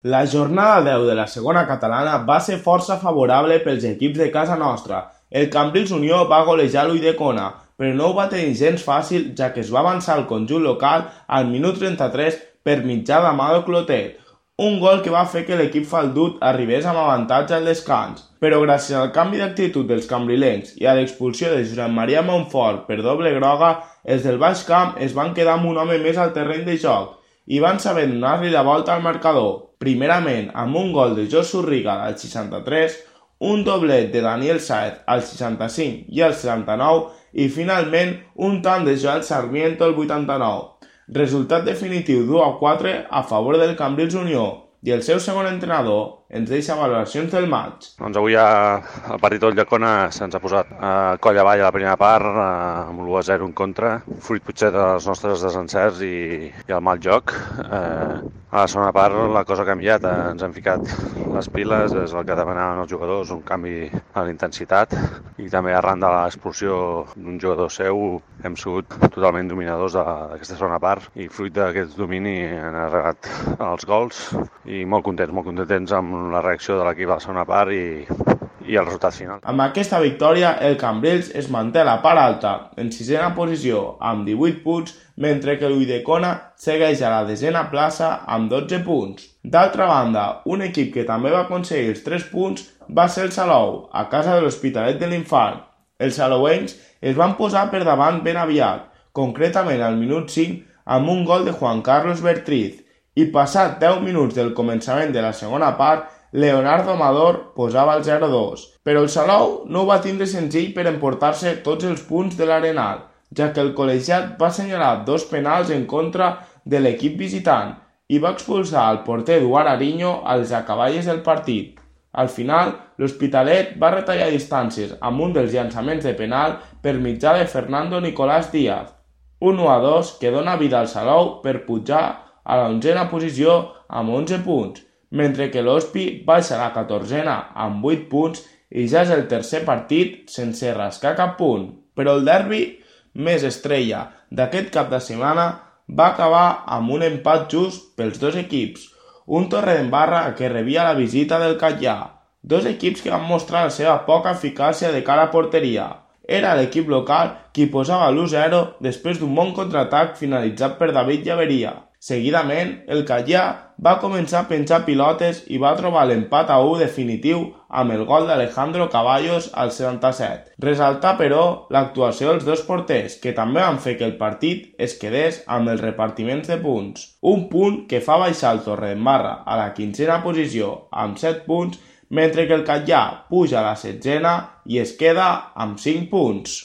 La jornada 10 de la segona catalana va ser força favorable pels equips de casa nostra. El Cambrils Unió va golejar l'Ulldecona, però no ho va tenir gens fàcil, ja que es va avançar el conjunt local al minut 33 per mitjà d'Amado Clotet, un gol que va fer que l'equip faldut arribés amb avantatge al descans. Però gràcies al canvi d'actitud dels cambrilencs i a l'expulsió de Josep Maria Montfort per doble groga, els del Baix Camp es van quedar amb un home més al terreny de joc i van saber donar-li la volta al marcador, primerament amb un gol de Josu Rigal al 63, un doblet de Daniel Sáez al 65 i al 79 i finalment un tant de Joel Sarmiento al 89. Resultat definitiu d'1-4 a favor del Cambrils Unió i el seu segon entrenador ens deixa valoracions del maig. Doncs avui el partit del Ulldecona se'ns ha posat coll avall a la primera part, amb l'1-0 en contra, fruit potser dels nostres desencerts i el mal joc. A la segona part la cosa ha canviat, ens hem ficat les piles, és el que demanaven els jugadors, un canvi a la intensitat i també arran de l'expulsió d'un jugador seu hem sigut totalment dominadors d'aquesta segona part i fruit d'aquest domini han arribat els gols i molt contents amb la reacció de l'equip a la segona part i el resultat final. Amb aquesta victòria, el Cambrils es manté a la part alta, en sisena posició, amb 18 punts, mentre que l'Ulldecona segueix a la desena plaça amb 12 punts. D'altra banda, un equip que també va aconseguir els 3 punts va ser el Salou, a casa de l'Hospitalet de l'Infant. Els salouencs es van posar per davant ben aviat, concretament al minut 5 amb un gol de Juan Carlos Bertriz, i passat 10 minuts del començament de la segona part, Leonardo Amador posava el 0-2. Però el Salou no ho va tindre senzill per emportar-se tots els punts de l'Arenal, ja que el col·legiat va assenyalar 2 penals en contra de l'equip visitant i va expulsar el porter Eduard Ariño als acaballes del partit. Al final, l'Hospitalet va retallar distàncies amb un dels llançaments de penal per mitjà de Fernando Nicolás Díaz, un 1-2 que dona vida al Salou per pujar a la 11a posició amb 11 punts, mentre que l'Hospi baixa a la 14a amb 8 punts i ja és el tercer partit sense rascar cap punt. Però el derbi més estrella d'aquest cap de setmana va acabar amb un empat just pels dos equips, un Torredembarra que rebia la visita del Catllà, dos equips que van mostrar la seva poca eficàcia de cara a porteria. Era l'equip local qui posava l'1-0 després d'un bon contraatac finalitzat per David Llaveria. Seguidament, el Catllà va començar a penjar pilotes i va trobar l'empat a 1 definitiu amb el gol d'Alejandro Caballos al 77. Resaltar, però, l'actuació dels dos porters, que també van fer que el partit es quedés amb els repartiments de punts. Un punt que fa baixar el Torredembarra a la 15a posició amb 7 punts, mentre que el Catllà puja a la 16a i es queda amb 5 punts.